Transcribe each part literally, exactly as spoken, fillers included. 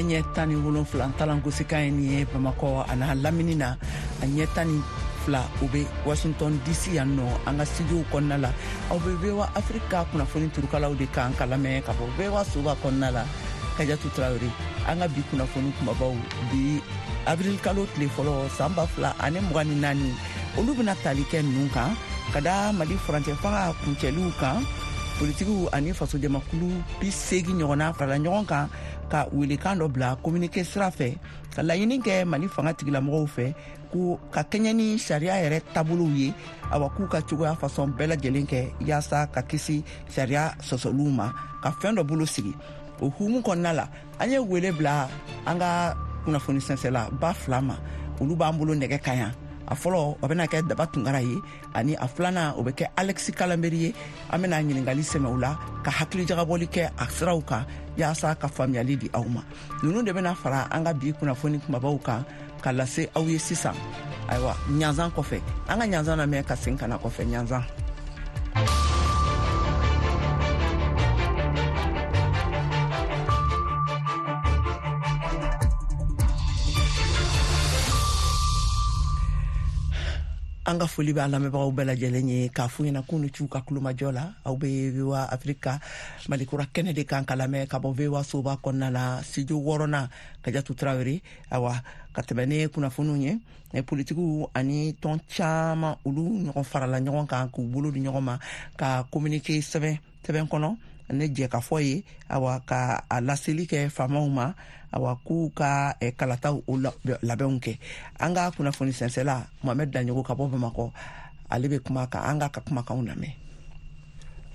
Nɛgɛ ɲɛ tan ni wolonfila talankosikan ye nin ye Bamakɔ a n'a lamini na, a ɲɛ tan ni fila o bɛ Washington D C yan nɔ, an ka studio kɔnɔna la. Aw bɛ V O A Afrique kunnafoni turukalaw de kan ka lamɛn ka bɔ V O A soba kɔnɔna la. Kajatu Tarawele, an ka bi kunnafoni kumabaw bi avril kalo tile fɔlɔ san ba fila ani mugan ni naani, olu bɛna tali kɛ ninnu kan: ka da Mali furancɛ fanga kuncɛliw kan, politikiw ani fasojamakulu bi seegin ɲɔgɔnna farala ɲɔgɔn kan ka welekan dɔ bila communiqué sira fɛ, ka laɲini kɛ Mali fanga tigilamɔgɔw fɛ ko ka kɛɲɛ ni sariya yɛrɛ taabolow ye, awa, k'u ka cogoya fasɔn bɛɛ lajɛlen kɛ yaasa ka kisi sariya sɔsɔliw ma, ka fɛn dɔ bolo sigi. O hukumu kɔnɔna la, an ye wele bila an ka kunnafoni sɛnsɛla ba fila ma, olu b'an bolo nɛgɛ kan yan. A fɔlɔ, o bɛna kɛ Daba Tunkara ye, ani a filanan, o bɛ kɛ Alexis Kalambry ye. An bɛna ɲininkali sɛmɛ u la ka hakili jagabɔli kɛ a siraw kan yaasa ka faamuyali di aw ma. Ninnu de bɛna fara an ka bi kunnafoni kumabaw kan ka lase aw ye sisan. Ayiwa, ɲanzan kɔfɛ, an ka ɲanzan lamɛn ka segin ka na kɔfɛ ɲanzan. An ka foli b'a lamɛnbagaw bɛɛ lajɛlen ye, k'a f'u ɲɛna k'u ni c'u ka kulomajɔ la. Aw bɛ V O A Afrika Malikura kɛnɛ de kan ka lamɛn ka bɔ V O A soba kɔnɔna la, studio wɔɔrɔnan. Kajatu Tarawele, awa, ka tɛmɛ ni kunnafoniw ye, politikiw ani tɔn caman, olu ɲɔgɔn farala ɲɔgɔn kan k'u bolo di ɲɔgɔn ma ka communiqué sɛbɛn sɛbɛn kɔnɔ ne jɛkafɔ ye, awa, ka a laseli kɛ faamaw ma, awa, k'u ka eh, kalataw o labɛnw kɛ. An ka kunnafoni sɛnsɛla Mohamɛd Daɲogo ka bɔ Bamakɔ, ale bɛ kuma kan, an k'a ka kumakanw lamɛn.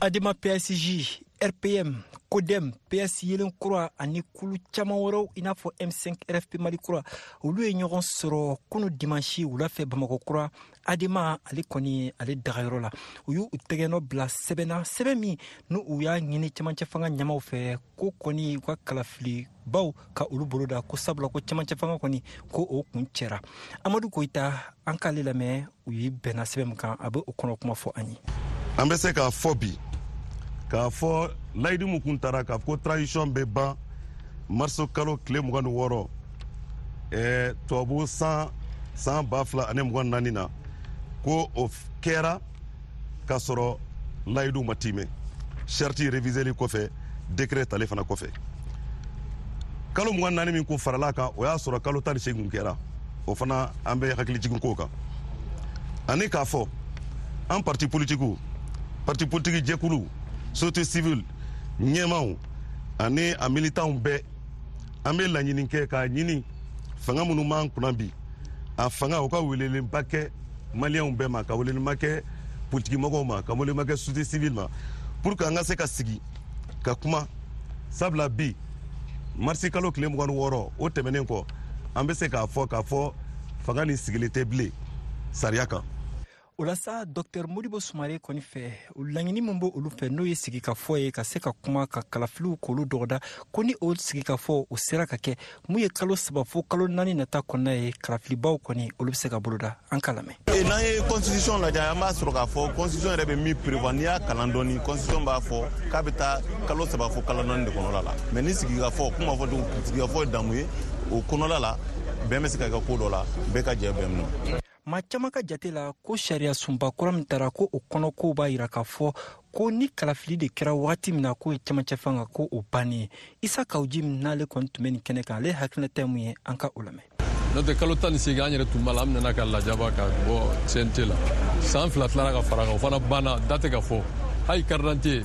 Adema, P S J, R P M, CODEM, P S Yelen Kura ani kulu caman wɛrɛw i n'a fɔ M cinq R F P Mali Kura, olu ye ɲɔgɔn sɔrɔ kunu dimansi wula fɛ Bamakɔ Kura, Adema ale kɔni ale dagayɔrɔ la. U y'u tɛgɛnɔ bila sɛbɛn na, sɛbɛn min n'u u y'a ɲini cɛmancɛ fanga ɲɛmaw fɛ ko kɔni u ka kalafili baw ka olu bolo da, ko sabula ko cɛmancɛ fanga kɔni ko o kun cɛra. Amadu Koyita, an k'ale lamɛn. U ye bɛnna sɛbɛn min kan, a bɛ o kɔnɔ kuma fɔ an ye. An bɛ se k'a fɔ bi k'a fɔ layidu min kun tara k'a fɔ ko transition bɛ ban marisi kalo tile mugan ni wɔɔrɔ, ɛɛ tubabu san san ba fila ani mugan naani na, ko o kɛra k'a sɔrɔ layidu ma timɛ. Charte réviseli kɔfɛ, décret tali fana kɔfɛ, kalo mugan naani min kun farala kan, o y'a sɔrɔ kalo tan ni seegin kɛra. O fana, an bɛ hakili jigin k'o kan. Ani k'a fɔ an parti politikiw, parti politiki jɛkulu, société civile ɲɛmaw ani a militanw bɛɛ, an bɛ laɲini kɛ k'a ɲini fanga minnu b'an kunna bi, a fanga o ka welelenba kɛ Maliyɛnw bɛɛ ma, ka welelenba kɛ politikimɔgɔw ma, ka welelenba kɛ société civile ma, pour que an ka se ka sigi ka kuma. Sabula bi marisi kalo tile mugan ni wɔɔrɔ, o tɛmɛnen kɔ, an bɛ se k'a fɔ k'a fɔ fanga nin sigilen tɛ bilen sariya kan. O la sa, Dɔktɛr Modibo Sumare kɔni fɛ, laɲini min b' olu fɛ, n'o ye sigikafɔ ye ka se ka kuma ka kalafiliw k'olu dɔgɔda, ko ni o sigikafɔ o sera ka kɛ, mun ye kalo saba fo kalo naani nata kɔnɔna ye, kalafilibaw kɔni olu bɛ se ka boloda. An ka lamɛn. N'an ye constitution lajɛ, an b'a sɔrɔ k'a fɔ constitution yɛrɛ bɛ min prévoir, n'i y'a kalan dɔɔni, constitution b'a fɔ k'a bɛ taa kalo saba fo kalo naani de kɔnɔla la. Mais ni sigikafɔ kuma fɔ cogo, sigikafɔ ye damu ye, o kɔnɔla la bɛn bɛ se ka kɛ ko dɔ la, bɛɛ ka jɛ bɛn min. Maa caman ka jate la, ko sariya sunba kura min tara, ko o kɔnɔ kow b'a yira k'a fɔ ko ni kalafili de kɛra wagati min na, k'o ye cɛmancɛ fanga ko o bannen ye. Isa Kawuji min n'ale kɔni tun bɛ nin kɛnɛ kan, ale hakilinata ye mun ye? An ka o lamɛn. N'o tɛ, kalo tan ni seegin an yɛrɛ tun b'a la, an nana ka lajaba ka bɔ C N T la. San fila tilara ka fara kan, o fana banna, date ka fɔ. Hali carte d'identité,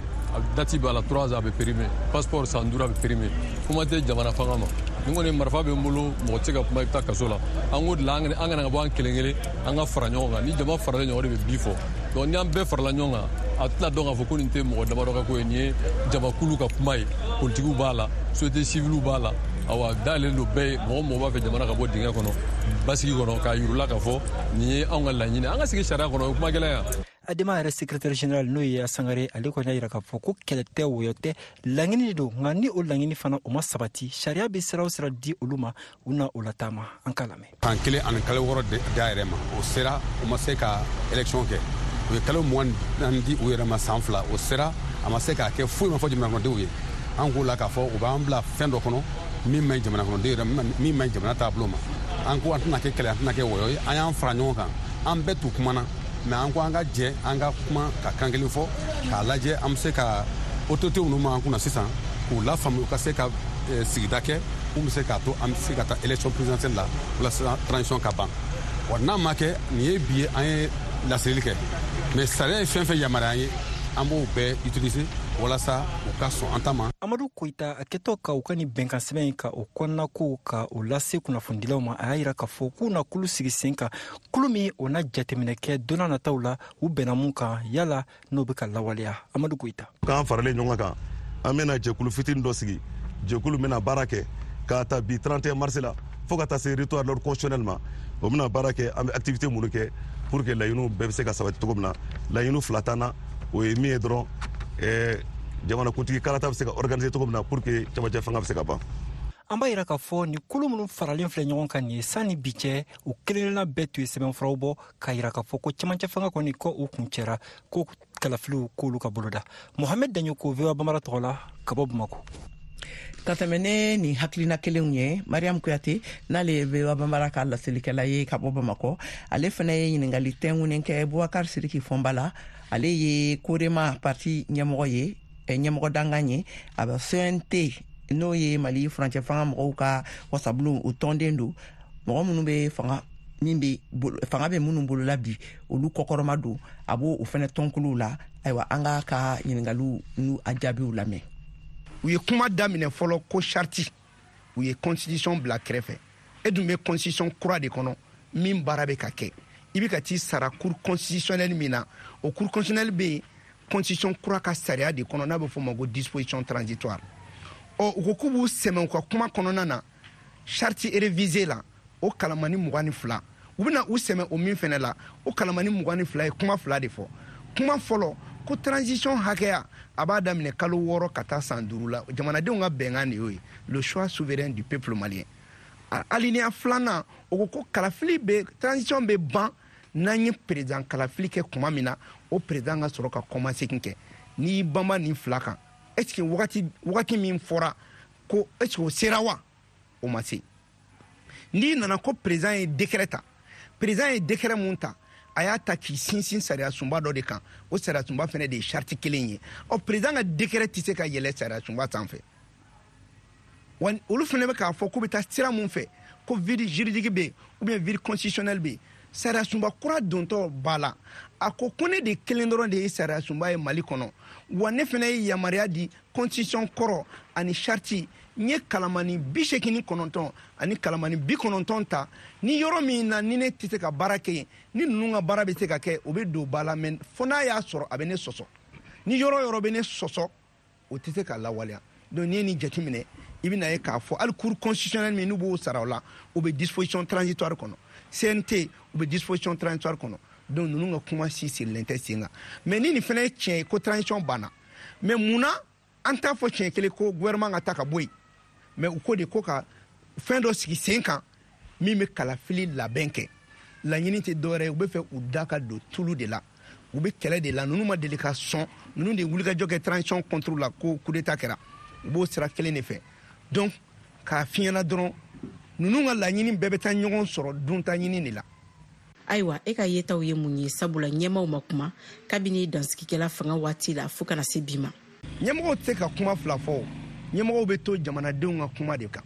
date b'a la, trois ans a bɛ périmé, passeport san duuru a bɛ périmé. Kuma tɛ jamana fanga ma. Ni kɔni marifa bɛ n bolo, mɔgɔ tɛ se ka kuma, i bɛ taa kaso la. An k'o de la, an kana ka bɔ an kelen kelen, an ka fara ɲɔgɔn kan. Ni jama faralen ɲɔgɔn, o de bɛ bi fɔ. Donc ni an bɛɛ farala ɲɔgɔn kan, a tɛna dɔn k'a fɔ ko nin tɛ mɔgɔ damadɔ ka ko ye, nin ye jamakulu ka kuma ye. Politikiw b'a la, société civile b'a la, awa, dayɛlɛlen don bɛɛ ye. Mɔgɔ mɔgɔ b'a fɛ jamana ka bɔ dingɛ kɔnɔ, basigi kɔnɔ, k'a yirula k'a fɔ nin ye anw ka laɲini, an ka sigi sariya kɔnɔ, o ye kuma gɛlɛn yan. Adema yɛrɛ secrétaire général, n'o ye Sangare, ale kɔni y'a yira k'a fɔ ko kɛlɛ tɛ, wɔyɔ tɛ, laɲini de don. Nka ni o laɲini fana o ma sabati, sariya bɛ sira o sira di olu ma, u na o lataama. An k'a lamɛn. San kelen ani kalo wɔɔrɔ da yɛrɛ ma, o sera, u ma se ka élection kɛ. U ye kalo mugan naani di u yɛrɛ ma, san fila o sera, a ma se k'a kɛ. Foyi ma fɔ jamana kɔnɔdenw ye. An k'o la k'a fɔ u b'an bila fɛn dɔ kɔnɔ. min man ɲi jamana kɔnɔden yɛrɛ, min man ɲi jamana taabolo ma. An ko an tɛna kɛ kɛlɛ, an tɛna kɛ wɔyɔ ye, an y'an fara ɲɔgɔn kan, an bɛɛ t'u kumana, mais an ko an ka jɛ, an ka kuma ka kan kelen fɔ k'a lajɛ an bɛ se ka autorité minnu b'an kunna sisan k'u lafaamu, u ka se ka sigida kɛ mun bɛ se k'a to an bɛ se ka taa élection présidentielle la walasa transition ka ban. Wa n'a ma kɛ nin ye bi ye, an ye laseli kɛ, mais sariya ye fɛn fɛn yamaruya an ye, an b'o bɛɛ utiliser walasa u ka sɔn an ta ma. Amadu Koyita a kɛtɔ ka u ka nin bɛnkan sɛbɛn in ka o kɔnɔnako ka o lase kunnafonidilaw ma, a y'a yira k'a fɔ k'u na kulu sigi sen kan, kulu min o na jateminɛ kɛ don n'a nataw la u bɛnna mun kan, yala n'o bɛ ka lawaleya. Amadu Koyita: k'an faralen ɲɔgɔn kan, an bɛna jɛkulu fitinin dɔ sigi, jɛkulu bɛna baara kɛ k'a ta bi trente et un mars la fo ka taa se retour à l'ordre constitutionnel ma. O bɛna baara kɛ, an bɛ activité minnu kɛ pour que laɲiniw bɛɛ bɛ se ka sabati cogo min na. Laɲiniw fila t'an na, o ye min ye dɔrɔn, ɛɛ jamanakuntigi kalata bɛ se ka organiser cogo min na pour que cɛmancɛ fanga bɛ se ka ban. An b'a yira k'a fɔ nin kulu minnu faralen filɛ ɲɔgɔn kan nin ye, sanni bi cɛ, u kelenkelenna bɛɛ tun ye sɛbɛnfuraw bɔ k'a yira k'a fɔ ko cɛmancɛ fanga kɔni ko u kun cɛra, ko kalafiliw k'olu ka boloda. Mohamed Daɲoko, V O A Bambara tɔgɔ la ka bɔ Bamako. Ka tɛmɛ ne nin hakilina kelenw ye, Mariam Kuyate, n'ale ye V O A Bambara ka laselikɛla ye ka bɔ Bamakɔ, ale fana ye ɲininkali tɛnkunnen kɛ Bubakar Sidiki Fɔnba la. Ale ye Korema parti ɲɛmɔgɔ ye, ɲɛmɔgɔ dangan ye, a bɛ C N T, n'o ye Mali furancɛ fanga mɔgɔw ka wasabulon, o tɔnden don. Mɔgɔ minnu bɛ fanga min bɛ fanga bɛ minnu bolola bi, olu kɔkɔrɔma don, a b'o o fana tɔnkuluw la. Ayiwa, an k'a ka ɲininkaliw n'u a jaabiw lamɛn. U ye kuma daminɛ fɔlɔ ko charte, u ye constitution bila kɛrɛfɛ. E dun bɛ constitution kura de kɔnɔ min baara bɛ ka kɛ, i bɛ ka t'i sara cour constitutionnelle min na, o cour constitutionnelle bɛ yen constitution kura ka sariya de kɔnɔ n'a bɛ f'o ma ko disposition transitoire. Ɔ, u ko k'u b'u sɛmɛ u ka kuma kɔnɔna na charte révisée la, o kalamani mugan ni fila, u bɛna u sɛmɛ o min fɛnɛ la, o kalamani mugan ni fila ye kuma fila de fɔ. Kuma fɔlɔ ko transition hakɛya a b'a daminɛ kalo wɔɔrɔ ka taa san duuru la, jamanadenw ka bɛnkan de y'o ye, le choix souverain du peuple malien. Alinéa filanan, o ko ko kalafili bɛ, transition bɛ ban n'an ye président kalafili kɛ tuma min na, o président ka sɔrɔ ka kɔmasegin kɛ. N'i banba nin fila kan, est ce que wagati wagati min fɔra ko, est ce que o sera wa? O ma se. N'i nana ko président ye décret ta, président ye décret mun ta, a y'a ta k'i sinsin sariya sunba dɔ de kan, o sariya sunba fɛnɛ de ye charte kelen ye. Ɔ, président ka décret tɛ se ka yɛlɛ sariya sunba sanfɛ. Wa olu fɛnɛ bɛ k'a fɔ k'u bɛ taa sira mun fɛ, ko vide juridique bɛ yen ou bien vide constitutionnel bɛ yen. Sariya sunba kura dontɔ ba la, a ko ko ne de kelen dɔrɔn de ye sariya sunba ye Mali kɔnɔ, wa ne fɛnɛ ye yamaruya di constitution kɔrɔ ani charte, n ye kalamani bi seegin ni kɔnɔntɔn ani kalamani bi kɔnɔntɔn ta. Ni yɔrɔ min na ni ne tɛ se ka baara kɛ yen, ni ninnu ka baara bɛ se ka kɛ, o bɛ don ba la, mɛ fo n'a y'a sɔrɔ a bɛ ne sɔsɔ. Ni yɔrɔ yɔrɔ bɛ ne sɔsɔ, o tɛ se ka lawaleya. Donc n'i ye nin jateminɛ, i bɛna ye k'a fɔ hali cour constitutionnelle min n'u b'o sara o la, o bɛ disposition transitoire kɔnɔ, C N T u bɛ disposition transitoire kɔnɔ. Donc ninnu ka kuma si sirilen tɛ sen kan. Mais ni nin fana ye tiɲɛ ye ko transition banna, mais munna an t'a fɔ tiɲɛ kelen ko gouvernement ka taa ka bɔ yen? Mais u ko de ko ka fɛn dɔ sigi sen kan min bɛ kalafili labɛn kɛ. Laɲini tɛ dɔwɛrɛ ye, u bɛ fɛ u da ka don tulu de la, u bɛ kɛlɛ de la. Ninnu ma deli ka sɔn, ninnu de ye wulikajɔ kɛ transition contre la ko coup d'état kɛra, u b'o sira kelen de fɛ. Donc k'a fiɲɛna dɔrɔn, ninnu ka laɲini bɛɛ bɛ taa ɲɔgɔn sɔrɔ dunta ɲini de la. Ayiwa, e ka yetaw ye mun ye, sabula ɲɛmaw ma kuma kabini dansigikɛla fanga waati la fɔɔ kana se bi ma? Ɲɛmɔgɔw tɛ se ka kuma fila fɔ. Ɲɛmɔgɔw bɛ to jamanadenw ka kuma de kan.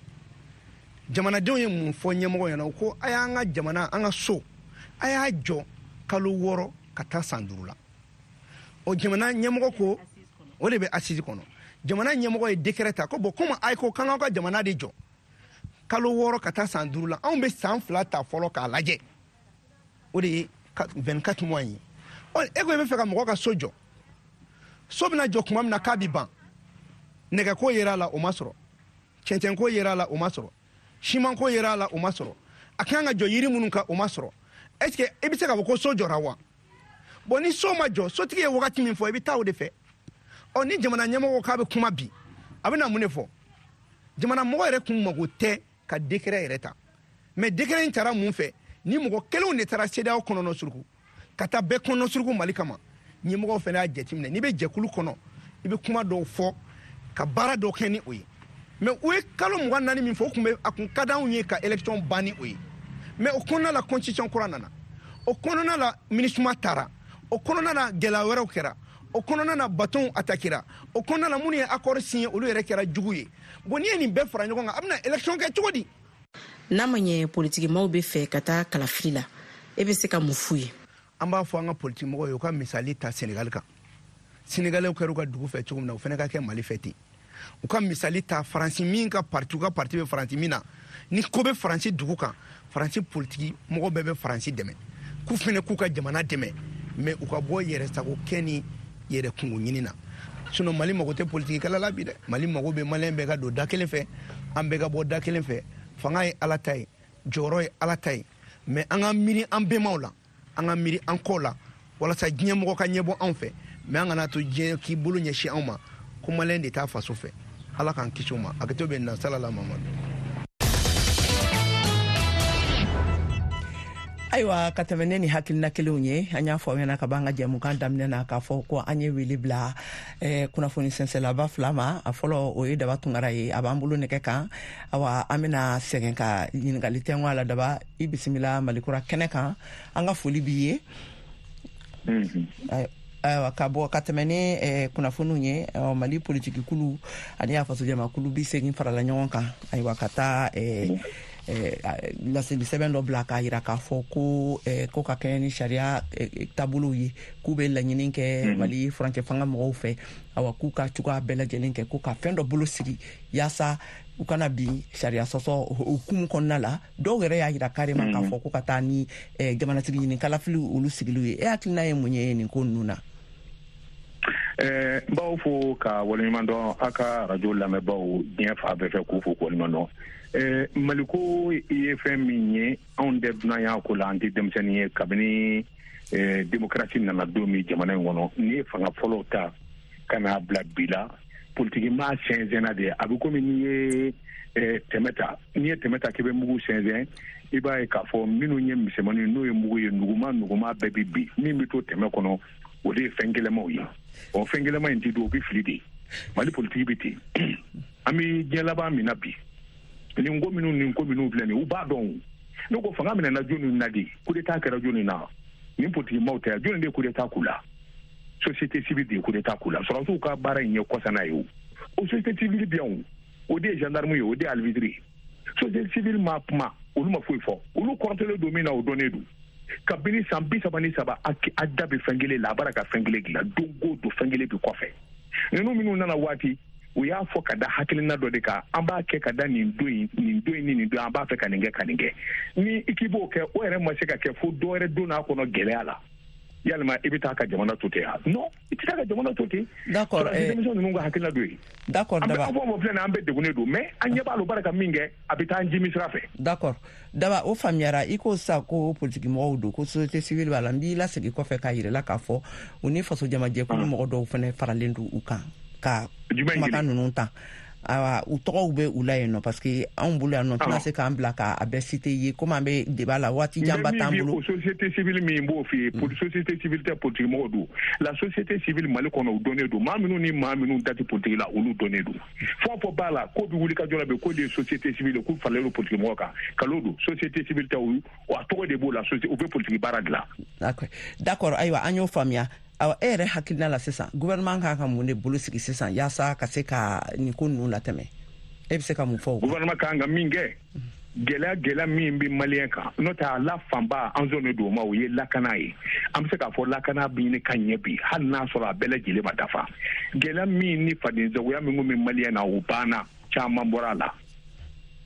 Jamanadenw ye mun fɔ ɲɛmɔgɔ ɲɛna? U ko a y'an ka jamana, an ka so, a y'a jɔ kalo wɔɔrɔ ka taa san duuru la. O jamana ɲɛmɔgɔ ko o de bɛ assise kɔnɔ. Jamana ɲɛmɔgɔ ye décret ta ko bon, komi a ko k'an k'aw ka jamana de jɔ kalo wɔɔrɔ ka taa san duuru la, anw bɛ san fila ta fɔlɔ k'a lajɛ, o de ye vingt-quatre mois ye. Ɔ, e ko i bɛ fɛ ka mɔgɔ ka so jɔ, so bɛna jɔ tuma min na k'a bi ban, nɛgɛko yera a la, o ma sɔrɔ, cɛncɛnko yera a la, o ma sɔrɔ, simanko yera a la, o ma sɔrɔ, a kan ka jɔ yiri minnu kan, o ma sɔrɔ. Est ce que i bɛ se k'a fɔ ko so jɔra wa? Bon, ni so ma jɔ, sotigi ye wagati min fɔ, i bɛ taa o de fɛ. Ɔ, ni jamana ɲɛmɔgɔ k'a bɛ kuma bi, a bɛna mun de fɔ? Jamana mɔgɔ yɛrɛ kun mago tɛ ka décret yɛrɛ ta, mais décret in taara mun fɛ? Ni mɔgɔ kelenw de taara CEDEAO kɔnɔnɔ suruku ka taa bɛɛ kɔnɔ suruku Mali kama. Ɲɛmɔgɔw fana y'a jateminɛ, n'i bɛ jɛkulu kɔnɔ, i bɛ kuma dɔw fɔ ka baara dɔw kɛ ni o ye. Mais u ye kalo mugan naani min fɔ, o tun bɛ a kun ka d'anw ye ka élection ban ni o ye. Mais o kɔnɔna la, constitution kura nana, o kɔnɔna la, MINUSMA taara, o kɔnɔna la, gɛlɛya wɛrɛw kɛra, o kɔnɔna na, bateau attaquera, o kɔnɔna la, minnu ye accord signé, olu yɛrɛ kɛra jugu ye. Bon, n'i ye nin bɛɛ fara ɲɔgɔn kan, a bɛna élection kɛ cogo di? N'a ma ɲɛ politikimaw bɛ fɛ ka taa kalafili la, e bɛ se ka mun f'u ye? An b'a fɔ an ka politikimɔgɔw ye, u ka misali ta Senegali kan. Senegalɛw kɛra u ka dugu fɛ cogo min na, u fana ka kɛ Mali fɛ ten. U ka misali ta Faransi min ka parti, u ka parti bɛ Faransi min na, ni ko bɛ Faransi dugu kan, Faransi politiki mɔgɔ bɛɛ bɛ Faransi dɛmɛ, k'u fana k'u ka jamana dɛmɛ, mais u ka bɔ yɛrɛsago kɛ ni yɛrɛ kungo ɲini na. Sinon Mali mago tɛ politiki kɛlɛ la bi dɛ. Mali mago bɛ Maliyɛn bɛɛ ka don da kelen fɛ, an bɛɛ ka bɔ da kelen fɛ. Fanga ye Ala ta ye, jɔyɔrɔ ye Ala ta ye, mais an ka miiri an bɛnbaw la, an ka miiri an kɔw la, walasa diɲɛ mɔgɔ ka ɲɛbɔ anw fɛ. Mais an kana to diɲɛ k'i bolo ɲɛsin anw ma ko Maliyɛn de t'a faso fɛ. Ala k'an kisi o ma. A kɛtɔ bɛ na salala Mamadu. Ayiwa, ka tɛmɛ ne ni hakilina kelenw ye, an y'a fɔ aw ɲɛna ka b'an ka jɛmukan daminɛ na k'a fɔ ko an ye wele bila eh, kunnafoni sɛnsɛnlaba fila ma. A fɔlɔ, o ye Daba Tunkara ye, a b'an bolo nɛgɛ kan. Awa, an bɛna sɛgɛn ka ɲininkali tɛnku a la. Daba, i bisimila Malikura kɛnɛ kan, an ka foli b'i ye. Ayiwa, ka bɔ ka tɛmɛ ni eh, kunnafoniw ye, Mali politiki kulu ani a fasojamakulu bi segin farala ɲɔgɔn kan, ayiwa, ka taa eh, laseli sɛbɛn dɔ bila k'a yira k'a fɔ ko ko ka kɛɲɛ ni sariya taabolow ye, k'u bɛ laɲini kɛ Mali furancɛ fanga mɔgɔw fɛ, awa, k'u ka cogoya bɛɛ lajɛlen kɛ ko ka fɛn dɔ bolo sigi yaasa u kana bin sariya sɔsɔ hukumu kɔnɔna la. Dɔw yɛrɛ y'a yira carrément k'a fɔ ko ka taa ni jamanatigi ɲini kalafili olu sigiliw ye. E hakilina ye mun ye nin ko ninnu na? N b'aw fo ka waleɲuman dɔn, a ka arajo lamɛnbaaw diɲɛ fan bɛɛ fɛ, k'u fo k'u waleɲuman dɔn. Maliko ye fɛn min ye, anw tɛ dunanya ko la, an tɛ denmisɛnnin ye. Kabini démocratie nana don min jamana in kɔnɔ, n'i ye fanga fɔlɔw ta ka n'a bila bi la, politiki maa sɛnsɛnna de. A bɛ komi n'i ye tɛmɛ ta, n'i ye tɛmɛ ta k'i bɛ mugu sɛnsɛn, i b'a ye k'a fɔ minnu ye misɛnmaninw n'o ye mugu ye, nuguma nuguma bɛɛ bɛ bin. Min bɛ to tɛmɛ kɔnɔ, o de ye fɛn gɛlɛnmaw ye. Ɔ, fɛn gɛlɛnma in ti don, o bɛ fili de. Mali politiki bɛ ten. An bɛ diɲɛ laban min na bi, nin ko minnu nin ko minnu filɛ nin ye, u b'a dɔn. Ne ko fanga minɛna jɔnni na de, coup d'état kɛra jɔnni na? Nin politiki maaw tɛ, jɔnni de ye coup d'état k'u la? Société civile de ye coup d'état k'u la. Sɔrɔdasiw ka baara in ye kɔsana ye. O o société civile bɛ yan, o de ye gendarme ye, o de ye alibitiri ye. Société civile ma kuma, olu ma foyi fɔ. Olu kɔrɔtɔlen don min na, o dɔnnen don. Kabini san bi saba ni saba, a da bɛ fɛn kelen la, a b'ara ka fɛn kelen dilan don o don, fɛn kelen bɛ kɔfɛ. Ninnu minnu nana waati, u y'a fɔ ka da hakilina dɔ de kan, an b'a kɛ ka da nin don in, nin don in ni nin don, an b'a fɛ ka nin kɛ ka nin kɛ. Ni i k'i b'o kɛ, o yɛrɛ ma se ka kɛ fo dɔ wɛrɛ don n'a kɔnɔ gɛlɛya la. Yalima i bɛ taa ka jamana to ten wa? Non, i tɛ taa ka jamana to ten. D'accord. Denmisɛnw ninnu ka hakilina dɔ ye. D'accord, Daba. An bɛ fɔ filɛ nin ye, an bɛɛ degunnen don, mais an ɲɛ b'a la, u b'a ka min kɛ, a bɛ taa an jimi sira fɛ. D'accord. Daba, o faamuyara. I ko sisan ko politiki mɔgɔw don, ko société civile b'a la. N b'i lasegin kɔfɛ k'a yira la k'a fɔ u ni faso jamajɛkulu mɔgɔ dɔw fana faralen don u kan ka kumakan ninnu ta. Ayiwa, u tɔgɔw bɛ u la yen nɔ, parce que anw bolo yan nɔ, tɛna se k'an bila k'a bɛɛ citer ye, komi an bɛ débat la, waati janba t'an bolo. O société civile min b'o f'i ye, société civile tɛ, politique mɔgɔw don. La société civile Mali kɔnɔ, u dɔnnen don. Maa minnu ni maa minnu da tɛ politique la, olu dɔnnen don. Fɛn o fɛn b'a la k'o bɛ wuli ka jɔ la bi, k'o de ye société civile, k'u faralen don politique mɔgɔw kan, kalon don. Société civile tɛ, o a tɔgɔ de b'o la, u bɛ politique baara dilan. D'accord, ayiwa, an y'o faamuya. Awa, e yɛrɛ hakilina la sisan, gouvernement kan ka mun de bolo sigi sisan yaasa ka se ka nin ko ninnu latɛmɛ? E bɛ se ka mun fɔ o kan? Gouvernement kan ka min kɛ, gɛlɛya gɛlɛya min bɛ Maliyɛn kan, n'o tɛ a la fanba an sɔnnen don o ma, o ye lakana ye. An bɛ se k'a fɔ lakana bɛ ɲini ka ɲɛ bi, hali n'a sɔrɔ a bɛɛ lajɛlen ma dafa. Gɛlɛya min ni fadenjagoya min kun bɛ Maliyɛn na, o banna, caman bɔra a la.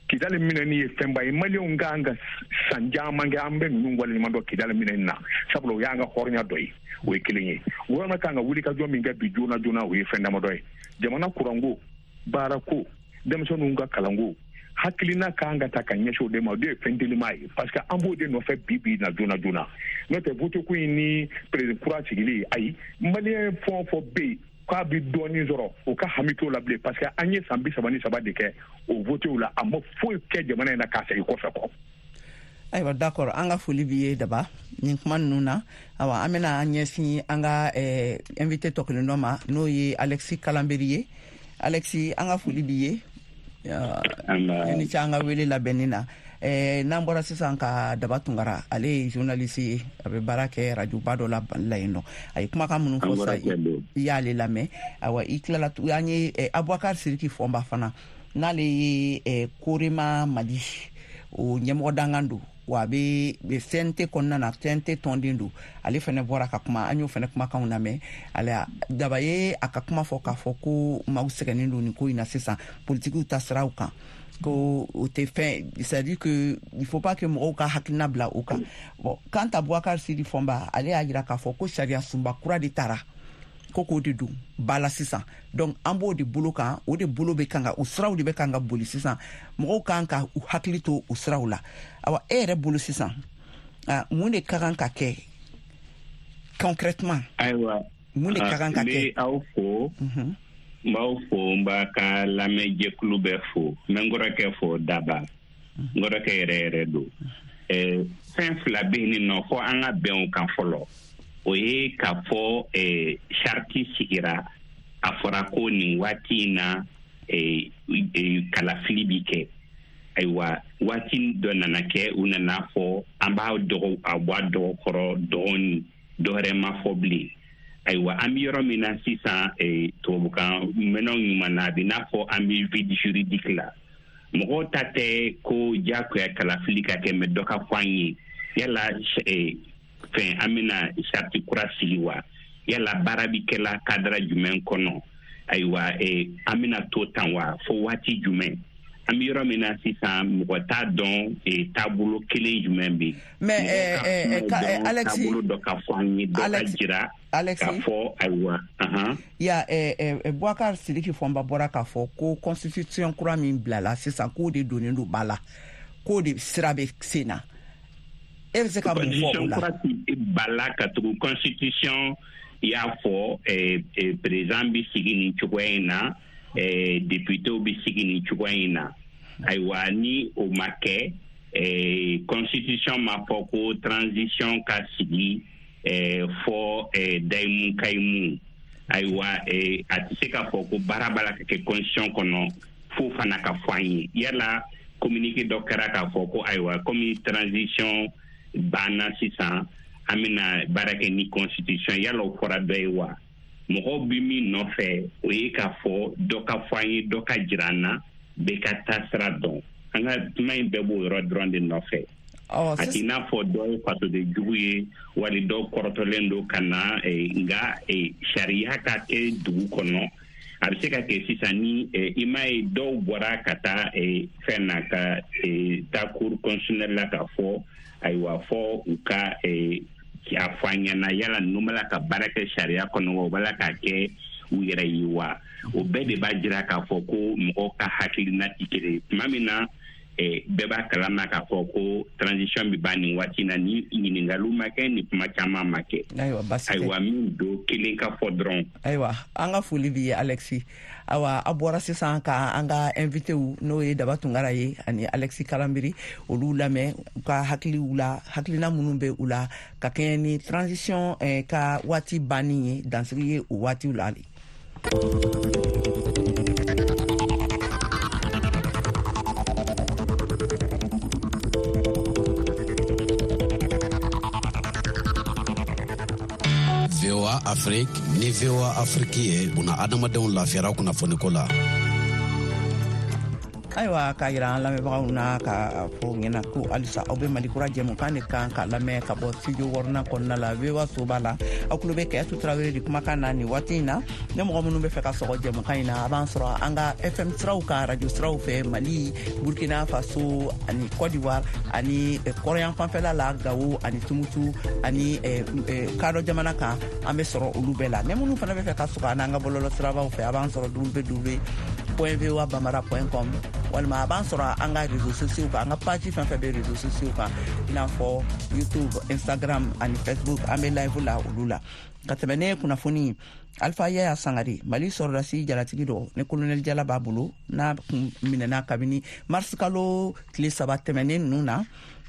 Kidali minɛni ye fɛnba ye. Maliyɛnw kan ka san caman kɛ, an bɛ ninnu waleɲuman dɔn Kidali minɛni na, sabula o y'an ka hɔrɔnya dɔ ye. O ye kelen ye. Gouvernement kan ka wuli ka jɔ min kɛ bi joona joona, o ye fɛn damadɔ ye. Jamana kuranko, baarako, denmisɛnninw ka kalanko, hakilina kan ka ta ka ɲɛsin o de ma. O de ye fɛn telima ye, parce que an b'o de nɔfɛ bi bi na joona joona. N'o tɛ vote ko in ni président kura sigili, ayi, Maliyɛn fɛn o fɛn bɛ yen k'a bɛ dɔɔnin sɔrɔ, o ka hami t'o la bilen, parce que an ye san bi saba ni saba de kɛ o votew la, a ma foyi kɛ jamana in na k'a segin kɔfɛ kɔ. Ayiwa, d'accord, an ka foli b'i ye Daba nin kuma ninnu na. Awa, an bɛna an ɲɛsin an ka eh, invité tɔ kelen dɔ ma, n'o ye Alexis Kalanberi ye. Alexis, an ka foli b'i ye. I ni ce an ka wele labɛnni na. Eh, n'an bɔra sisan ka Daba Tunkara, ale ye journaliste ye, a bɛ baara kɛ rajoba dɔ la la yen nɔ. A ye kumakan minnu fɔ sisan, i y'ale lamɛn. Awa, i tilala, an ye Abubakar Siriki Fɔnba fana, n'ale ye eh, Korema Mali o ɲɛmɔgɔ dangan don, wa a bɛ C N T kɔnɔna na, C N T tɔnden don. Ale fana bɔra ka kuma, an y'o fana kumakanw lamɛn. Ale Daba ye a ka kuma fɔ k'a fɔ ko maaw sɛgɛnnen don nin ko in na sisan, politikiw ta siraw kan, ko o tɛ fɛn, c'est à dire que il faut pas que mɔgɔw ka hakilina bila o kan. Bon, quant à Boubacar Sidi Fɔnba, ale y'a jira k'a fɔ ko sariya sunba kura de taara, ko k'o de don ba la sisan. Donc an b'o de bolo kan, o de bolo bɛ kan ka, o siraw de bɛ kan ka boli sisan, mɔgɔw kan ka u hakili to o siraw la. Awa, e yɛrɛ bolo sisan, mun de ka kan ka kɛ concrètement? Ayiwa, mun de ka kan ka kɛ? N bɛ aw fo, n b'aw fo, n b'a ka lamɛnjɛkulu bɛɛ fo, n bɛ n kɔrɔkɛ fo Daba, n kɔrɔkɛ yɛrɛ yɛrɛ don. Fɛn fila bɛ yen nɔ fo an ka bɛn o kan fɔlɔ. O ye k'a fɔ sariti sigira, a fɔra ko nin waati in na kalafili bi kɛ. Ayiwa, waati dɔ nana kɛ, u nana fɔ an b'a dɔgɔ, a bɔ a dɔgɔ kɔrɔ dɔɔni, dɔ wɛrɛ ma fɔ bilen. Ayiwa, an bɛ yɔrɔ min na sisan, tubabukan mɛnnaw ɲuman na, a bɛ n'a fɔ an bɛ vide juridique la. Mɔgɔw ta tɛ ko diyagoya kalafili ka kɛ, mɛ dɔ ka fɔ an ye yala fɛn an bɛna sariti kura sigi wa, yala baara bi kɛla kadara jumɛn kɔnɔ, ayiwa an bɛna to tan wa fo waati jumɛn. An bɛ yɔrɔ min na sisan, mɔgɔ t'a dɔn taabolo kelen jumɛn bɛ yen. Mais Alexis, taabolo dɔ ka fɔ an ye, dɔ ka jira k'a fɔ ayiwa. Ya Boubacar Sidiki Fɔnba bɔra k'a fɔ ko constitution kura min bilala sisan, k'o de donnen don ba la, k'o de sira bɛ sen na. E bɛ se ka mun fɔ o la? Ba la ka tugu constitution y'a fɔ président bɛ sigi nin cogoya in na, députéw bɛ sigi nin cogoya in na. Ayiwa, ni o ma kɛ, constitution ma fɔ ko transition ka sigi fɔ dayimu kayimu. Ayiwa, a tɛ se k'a fɔ ko baara b'a la ka kɛ constitution kɔnɔ fo fana ka fɔ an ye. Yala communiqué dɔ kɛra k'a fɔ ko ayiwa, komi transition banna sisan, an bɛna baara kɛ ni constitution, yala o fɔra dɔ ye wa? Mɔgɔw bɛ min nɔfɛ, o ye k'a fɔ dɔ ka fɔ an ye, dɔ ka jira an na, bɛɛ ka taa sira dɔn. An ka kuma in bɛɛ b'o yɔrɔ dɔrɔn de nɔfɛ. A t'i n'a fɔ dɔ ye fasoden jugu ye, wali dɔw kɔrɔtɔlen don ka na, nka sariya ka kɛ dugu kɔnɔ. A bɛ se ka kɛ sisan ni i m'a ye dɔw bɔra ka taa fɛn na, ka taa cour constitutionnelle la k'a fɔ ayiwa fɔ u ka a fɔ an ɲɛna yala ninnu b'a la ka baara kɛ sariya kɔnɔ wa, u b'a la k'a kɛ u yɛrɛ ye wa. O bɛɛ de b'a jira k'a fɔ ko mɔgɔw ka hakilina tɛ kelen ye. Tuma min na bɛɛ b'a kalama k'a fɔ ko transition bɛ ban nin waati na, ni ɲininkaliw ma kɛ, ni kuma caman ma kɛ. Ayiwa, basi tɛ. Ayiwa, min don kelen ka fɔ dɔrɔn. Ayiwa, an ka foli b'i ye Alexis. Ayiwa, a bɔra sisan ka an ka invité n'o ye Daba Tunkara ye ani Alexis Kalambiri, olu lamɛn u ka hakiliw la, hakilina minnu bɛ u la ka kɛɲɛ ni transition ka waati banni ye, dansigi ye o waatiw la. V O A Afrique ni V O A Afrique ye buna adamadenw lafiyara kunnafoniko la. Ayiwa, k'a yira an lamɛnbagaw na ka fɔ ɲɛna ko halisa aw bɛ Mali kura jɛmukan de kan ka lamɛn ka bɔ studio wɔɔrɔnan kɔnɔna la V O A soba la. Aw tulo bɛ Kɛyatu Tarawele de kumakan na nin waati in na. Ne mɔgɔ minnu bɛ fɛ ka sɔgɔ jɛmukan in na, a b'an sɔrɔ an ka F M siraw kan, radio siraw fɛ, Mali, Burkina Faso ani Côte d'Ivoire ani kɔrɔyan fanfɛla la, Gawo ani Tumutu ani Kadɔ jamana kan, an bɛ sɔrɔ olu bɛɛ la. Ne minnu fana bɛ fɛ ka sɔgɔ an n'an ka bɔlɔlɔ sirabaw fɛ, a b'an sɔrɔ w w w point v o a bambara point com walima a b'an sɔrɔ an ka réseaux sociaux kan, an ka page fɛn fɛn bɛ réseaux sociaux kan, i n'a fɔ YouTube, Instagram ani Facebook, an bɛ live la olu la. Ka tɛmɛ ne kunnafoni, Alpha Yaya Sangare, Mali sɔrɔdasi jalatigi dɔ ni colonel Jala b'a bolo, n'a kun minɛna kabini mars kalo tile saba tɛmɛnen ninnu na,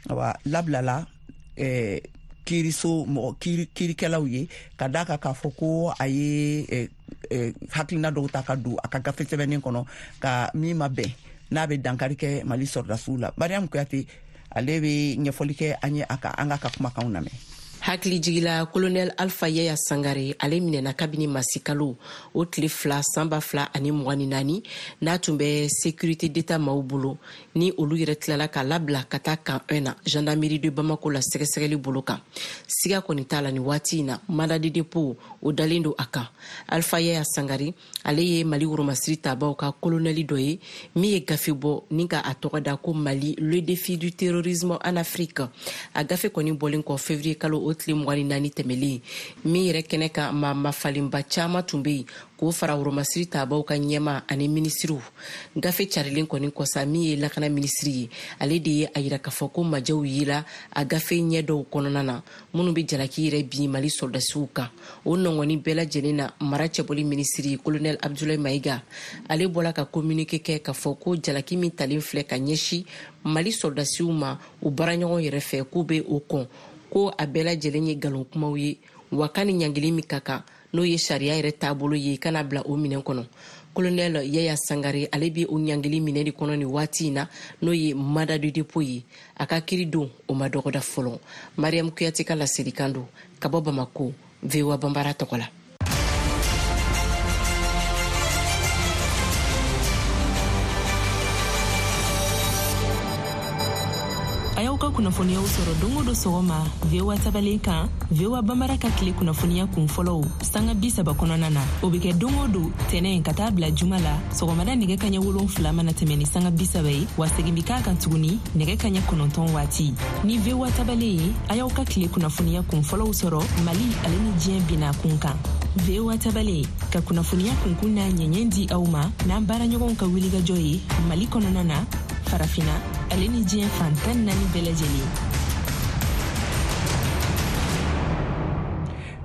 awa labilala eh, kiiriso mɔgɔ kiiri kiirikɛlaw ye ka d'a kan k'a fɔ ko a ye eh, eh, hakilina dɔw ta ka don a ka gafe sɛbɛnnen kɔnɔ ka min ma bɛn n'a bɛ dankari kɛ Mali sɔrɔdasiw la. Mariam Kuyate ale bɛ ɲɛfɔli kɛ an ye a ka an ka ka kumakanw lamɛn. Hakili jigila colonel Alpha Yaya Sangare ale minɛna kabini masikalo o tile fila san ba fila ani mugan ni naani n'a tun bɛ sécurité d'état maaw bolo ni olu yɛrɛ tilala k'a labila ka taa camp un na gendarmerie de Bamako la sɛgɛsɛgɛli bolo kan. Siga kɔni t'a la nin waati in na mandat de dépôt o dalen don a kan. Alpha Yaya Sangare ale ye Mali woromasiri tabaw ka colonel dɔ ye min ye gafe bɔ ni ka a tɔgɔ da ko Mali le défi du terrorisme en Afrique. A gafe kɔni bɔlen kɔ février kalo o tile mugan ni naani tɛmɛlen min yɛrɛ kɛnɛ kan maa mafalenba caman tun bɛ yen k'o fara woromasiri tabaw ka ɲɛma ani minisiriw. Gafe carilen kɔni kɔsa min ye lakana minisiri ye ale de ye a yira k'a fɔ ko majɛw yela a gafe ɲɛ dɔw kɔnɔna na minnu bɛ jalaki yɛrɛ bin Mali sɔrɔdasiw kan. O nɔngɔni bɛɛ lajɛlen na mara cɛbɔli minisiri colonel Abdoulaye Maïga ale bɔla ka communiqué kɛ k'a fɔ ko jalaki min talen filɛ ka ɲɛsin Mali sɔrɔdasiw ma u baaraɲɔgɔn yɛrɛ fɛ k'u bɛ o kɔn ko a bɛɛ lajɛlen ye nkalon kumaw ye wa ka ni ɲangili min ka kan n'o ye sariya yɛrɛ taabolo ye kana bila o minɛn kɔnɔ. Colonel Yaya Sangare ale bɛ o ɲangili minɛ de kɔnɔ nin waati in na n'o ye mandat de dépôt ye. A ka kiiri don o ma dɔgɔda fɔlɔ. Mariam Kuyate ka laselikan don ka bɔ Bamako V O A Banbara tɔgɔ la. A y'aw ka kunnafoniyaw sɔrɔ don o don sɔgɔma V O A tabalen kan V O A Banbara ka tile kunnafoniya kun fɔlɔw sanga bi saba kɔnɔna na. O bɛ kɛ don o don tɛnɛn ka taa bila juma la sɔgɔmada nɛgɛ kaɲɛ wolonfila mana tɛmɛ ni sanga bi saba ye wa segin bɛ k'a kan tuguni nɛgɛ kaɲɛ kɔnɔntɔn waati. Ni V O A tabalen ye a y'aw ka tile kunnafoniya kun fɔlɔw sɔrɔ Mali ale ni diɲɛ binna kun kan. V O A tabalen ka kunnafoniya kunkun n'a ɲɛɲɛ di aw ma n'an baaraɲɔgɔnw ka wulikajɔ ye Mali kɔnɔna na, Farafina ale ni diɲɛ fan tan naani bɛɛ lajɛlen.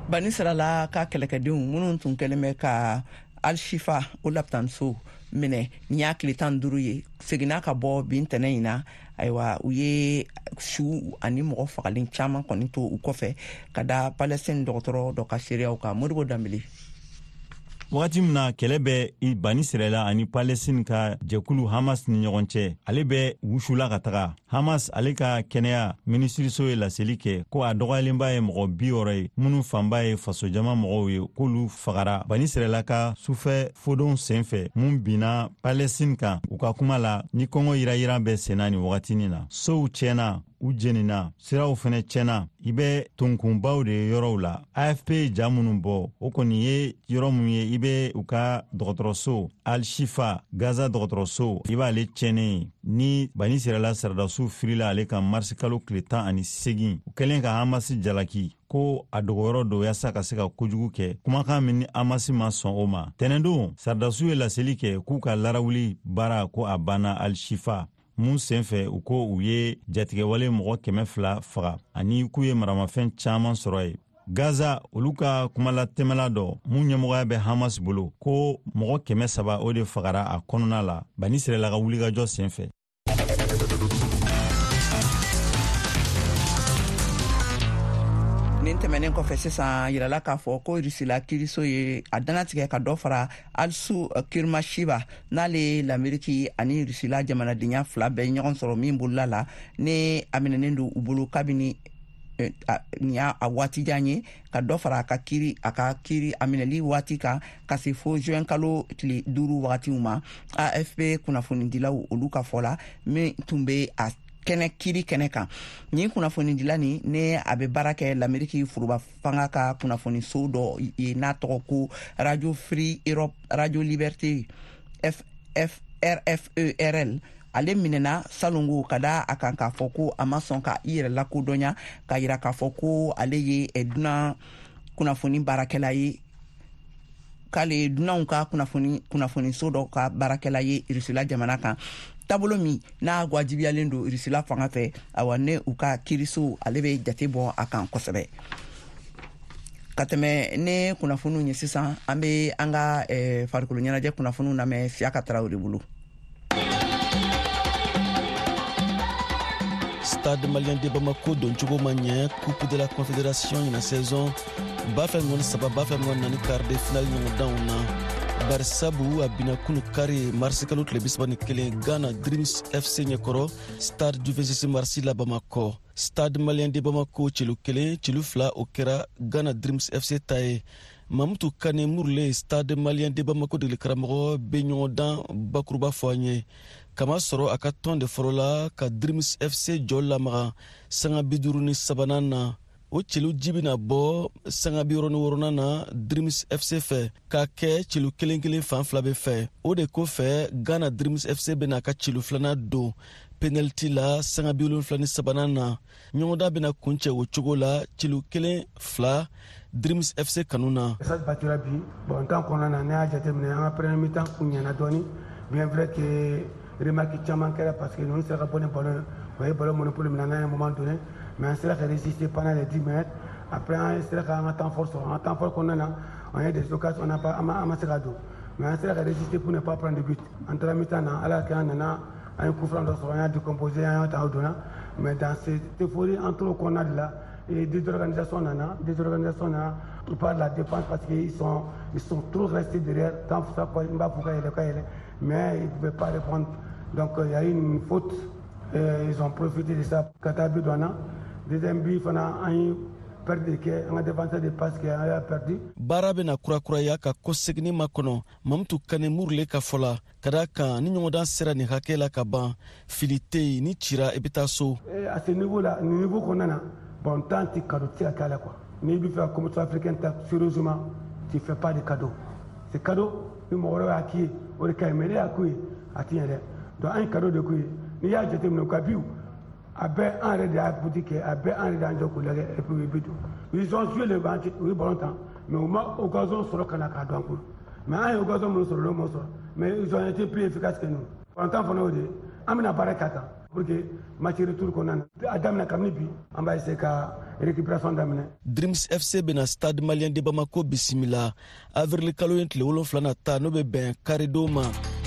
Bani Sarala ka kɛlɛkɛdenw minnu tun kɛlen bɛ ka Al-Shifa o lapitanso minɛ nin y'a tile tan duuru ye seginna ka bɔ bin tɛnɛ in na. Ayiwa u ye su ani mɔgɔ fagalen caman kɔni to u kɔfɛ ka da Palestine dɔgɔtɔrɔ dɔ ka seereyaw kan. Modibo Danbele. Wagati min na kɛlɛ bɛ Bani Sirɛla ani Palestine ka jɛkulu Hamas ni ɲɔgɔn cɛ, ale bɛ wusula ka taga. Hamas ale ka kɛnɛya minisiriso ye laseli kɛ ko a dɔgɔyalenba ye mɔgɔ bi wɔɔrɔ ye minnu fanba ye fasojama mɔgɔw ye k'olu fagara Bani Sirɛla ka sufɛ fodon sen fɛ mun binna Palestine kan. U ka kuma la ni kɔngɔ yirayiran bɛ senna nin wagatinin na. Sow tiɲɛna, u jenina, siraw fɛnɛ tiɲɛna. I bɛ tonkunbaw de ye yɔrɔw la. A F P ye ja minnu bɔ o kɔni ye yɔrɔ mun ye i bɛ u ka dɔgɔtɔrɔso Al-Shifa Gaza dɔgɔtɔrɔso i b'ale tiɲɛnen ye ni Bani Sirɛla sɔrɔdasiw firila ale kan marisi kalo tile tan ani segin u kɛlen ka Hamasi jalaki ko a dogoyɔrɔ don yaasa ka se ka kojugu kɛ. Kumakan min ni Hamasi ma sɔn o ma. Tɛnɛndon sɔrɔdasiw ye laseli kɛ k'u ka larawuli baara ko a banna Al-Shifa mun senfɛ u ko u ye jatigɛwale mɔgɔ kɛmɛ fila faga ani k'u ye maramafɛn caman sɔrɔ ye. Gaza olu ka kumalatɛmɛla dɔ mun ɲɛmɔgɔya bɛ Hamas bolo ko mɔgɔ kɛmɛ saba o de fagara a kɔnɔna la Bani Sirɛla ka wulikajɔ senfɛ. Nin tɛmɛnen kɔfɛ sisan yirala k'a fɔ ko Rusila kiiriso ye a dannatigɛ ka dɔ fara Alsu Kurmashiba n'ale ye Lameriki ani Rusila jamanadenya fila bɛɛ ɲɔgɔn sɔrɔ min bolola la ni a minɛnen don u bolo kabini nin y'a a waati jan ye ka dɔ fara a ka kiiri a ka kiiri a minɛli waati kan ka se fo juin kalo tile duuru wagatiw ma. A F P kunnafonidilaw olu ka fɔ la min tun bɛ a kɛnɛ kiiri kɛnɛ kan. Nin kunnafonidila nin ne a bɛ baara kɛ Lameriki foroba fanga ka kunnafoniso dɔ ye n'a tɔgɔ ko Radio Free Europe Radio Liberté F F R F E R L. Ale minɛna salongo ka da a kan k'a fɔ ko a ma sɔn ka i yɛrɛ lakodɔnya ka yira k'a fɔ ko ale ye dunan kunnafoni baarakɛla ye k'ale ye dunanw ka kunnafoni kunnafoniso dɔ ka baarakɛla ye Rusila jamana kan. Taabolo min n'a wajibiyalen don Rusila fanga fɛ, awa ne u ka kiiriso ale bɛ jate bɔ a kan kosɛbɛ. Ka tɛmɛ ne kunnafoniw ye sisan, an bɛ an ka eh, farikolo ɲɛnajɛ kunnafoniw lamɛn Siyaka Tarawele bolo. Stade malien de Bamako doncogo ma ɲɛ Coupe de la Confédération ɲina saison ba fila mugan ni saba ba fila mugan ni naani quart de finale ɲɔgɔndanw na. Barisabu a binna kunu kari marisi kalo tile bisaba ni kelen Ghana Dreams F C ɲɛkɔrɔ Stade du vingt-six mars la Bamakɔ. Stade Malien de Bamako celu kelen celu fila o kɛra Ghana Dreams F C ta ye. Mamutu Kane Murule Stade Malien de Bamako degeli karamɔgɔ bɛ ɲɔgɔndan bakuruba fɔ an ye. Kamasɔrɔ a ka tɔn de fɔlɔ la ka Dreams F C jɔ lamaga sanga bi duuru ni sabanan na. O celu ji bɛna bɔ sanga bi wɔɔrɔ ni wɔɔrɔnan na Dreams F C fɛ k'a kɛ celu kelen kelen fan fila bɛɛ fɛ. O de kɔfɛ Ghana Dreams F C bɛna a ka celu filanan don penalty la sanga bi wolonfila ni sabanan na. Ɲɔgɔndan bɛna kuncɛ o cogo la celu kelen fila Dreams F C kanu na. Stade battura bi bon temps kɔnɔna na ne y'a jateminɛ an ka première mi-temps kun ɲɛna dɔɔni, bien vrai que remarque caman kɛra parce que ninnu sera ka bɔ ni ballon ye, o ye ballon monopole minɛ n'a ye moment donné, mais an sera ka résister pendant les dix minutes. Après an sera ka an ka temps fort sɔrɔ, an ka temps fort kɔnɔna na on a des occasions, on n'a pas an ma se ka don, mais an sera ka résister pour ne pas prendre de but. An taara mi-temps na, Ala kɛ an nana an ye coup franc dɔ sɔrɔ, an y'a décomposé, an y'a ta o donna, mais dans cette euphorie an tor'o kɔnɔna de la. Et désorganisation nana, désorganisation nana par la défense parce qu'ils sont ils sont trop restés derrière, tant ça quoi, n b'a fɔ ka yɛlɛ ka yɛlɛ, mais ils ne pouvaient pas répondre. Donc il y a eu une faute, et ils ont profité de ça ka taa but don an na. Deuxième but fana an ye perte de kɛ, an ka défenseur de passe kɛ, an y'a perdu. Baara bɛna kurakuraya ka kɔseginni makɔnɔ Mamutu Kane Murule ka fɔ la, ka d'a kan ni ɲɔgɔndan sera nin hakɛ la ka ban, fili tɛ yen, ni cira i bɛ taa so. À ce niveau là, nin niveau kɔnɔna na, bon temps tɛ cadeau tɛ se ka kɛ a la quoi. N'i bɛ fɛ ka compétition africaine ta sérieusement, tu fais pas de cadeau. C'est cadeau ni mɔgɔ wɛrɛ y'a k'i ye o de ka ɲi, mais ne y'a k'u ye a ti ɲɛ dɛ. Donc an ye cadeau de k'u ye. N'i y'a jateminɛ u ka biw a bɛɛ an yɛrɛ de y'a boutique kɛ, a bɛɛ an yɛrɛ de y'an jɔ k'u lajɛ et puis u ye bi don. Ils ont joué le match, u ye ballon tan, mais u ma occasion sɔrɔ ka na k'a don an kun. Mais an ye occasion minnu sɔrɔ olu m'o sɔrɔ, mais ils ont été plus efficaces que nous. Ballon fana y'o de ye, an bɛna baara k'a kan pour que match retour kɔnɔna na a daminɛ kabini bi an b'a essayer ka récupération daminɛ. Dreams F C bɛna Stade Malien de Bamako bisimila avril kalo ye tile wolonfila nata, n'o bɛ bɛn karidon ma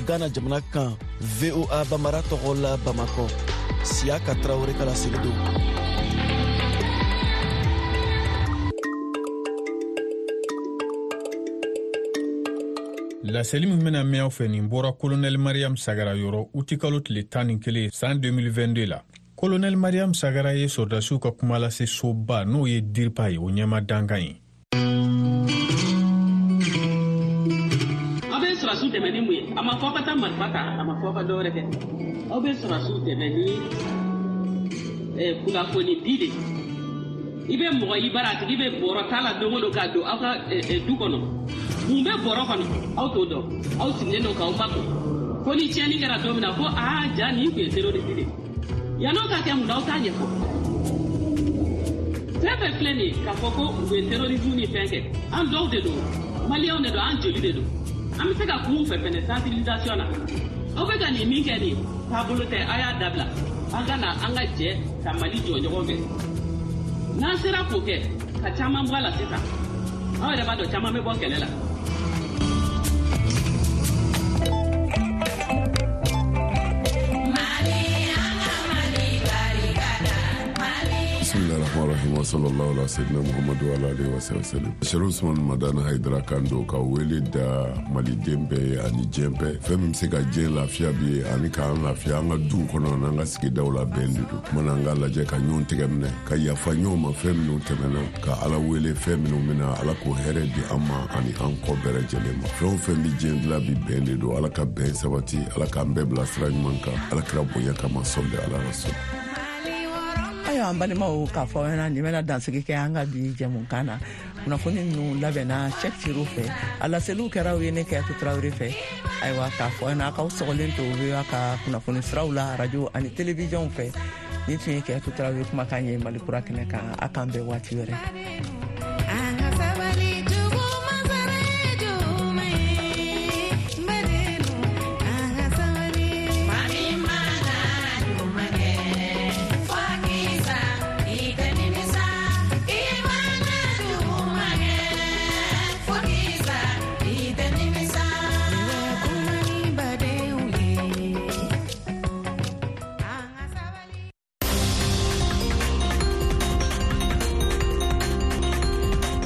Ghana jamana kan. V O A Bamara tɔgɔ la Bamakɔ, Siyaka Tarawele ka laseli don. Laseli min bɛna mɛn aw fɛ nin bɔra Colonel Mariam Sagara yɔrɔ utikalo tile tan ni kelen san deux mille vingt-deux la. Colonel Mariam Sagara ye sɔrɔdasiw ka kuma lase soba n'o ye DIRPA ye, o ɲɛma dankan ye. Aw bɛ sɔrɔdasiw dɛmɛ ni mun ye? A ma fɔ aw ka taa marifa ta, a ma fɔ aw ka dɔwɛrɛ kɛ. Aw bɛ sɔrɔdasiw dɛmɛ ni kunnafoni di de. I bɛ mɔgɔ i bara a tigi bɛ bɔrɔ ta la don o don ka don aw ka du kɔnɔ. Mun bɛ bɔrɔ kɔnɔ aw t'o dɔn, aw sigilen don k'aw makun. Ko ni tiɲɛni kɛra don min na ko aa ja nin tun ye terroriste de ye. Yann'o ka kɛ mun na aw t'a ɲɛfɔ. Fɛn fɛn filɛ nin ye k'a fɔ ko u bɛ terrorisme ni fɛn kɛ, an dɔw de don, maliyɛnw de don, an joli de don. An bɛ se ka kun fɛ fɛnɛ sensibilisation na. Aw bɛ ka nin min kɛ nin ye, taabolo tɛ, a y'a dabila. An ka na an ka jɛ ka Mali jɔ ɲɔgɔn fɛ. N'an sera k'o kɛ ka caman bɔ a la sisan, aw yɛrɛ b'a dɔn caman bɛ bɔ kɛlɛ la. Bismillahirrahmanirrahim wa sallallahu ala sayyidina Muhammadu wa ala alihi wa sallam. Sherif Usman Madani Haidara kan don ka wele da maliden bɛɛ ye ani diɲɛ bɛɛ. Fɛn min bɛ se ka diɲɛ lafiya bi ye ani k'an lafiya an ka duw kɔnɔ n'an ka sigidaw la bɛn de don. Kuma an ka lajɛ ka ɲɔgɔn tɛgɛ minɛ, ka yafa ɲɔgɔn ma fɛn minnu tɛmɛna, ka Ala wele fɛn minnu bɛna, Ala k'o hɛrɛ di an ma ani an kɔ bɛɛ lajɛlen ma. Fɛn o fɛn bɛ diɲɛ dilan bi bɛn de don. Ala ka bɛn sabati, Ala k'an bɛɛ bila sira ɲuman kan, Ala kira bonya kama sɔli ala rasul. Ayiwa an balimaw, k'a fɔ aw ɲɛna nin bɛna dansigi kɛ an ka bi jɛmukan na. Kunnafoni ninnu labɛnna Cheick Ciro fɛ, a laseliw kɛra aw ye ne Kayatu Tarawele fɛ. Ayiwa k'a fɔ aw ɲɛna a k'aw sɔgɔlen to V O A ka kunnafoni siraw la radio ani télévision fɛ. Nin tun ye Kayatu Tarawele kumakan ye Mali kura kɛnɛ kan. A k'an bɛn waati wɛrɛ.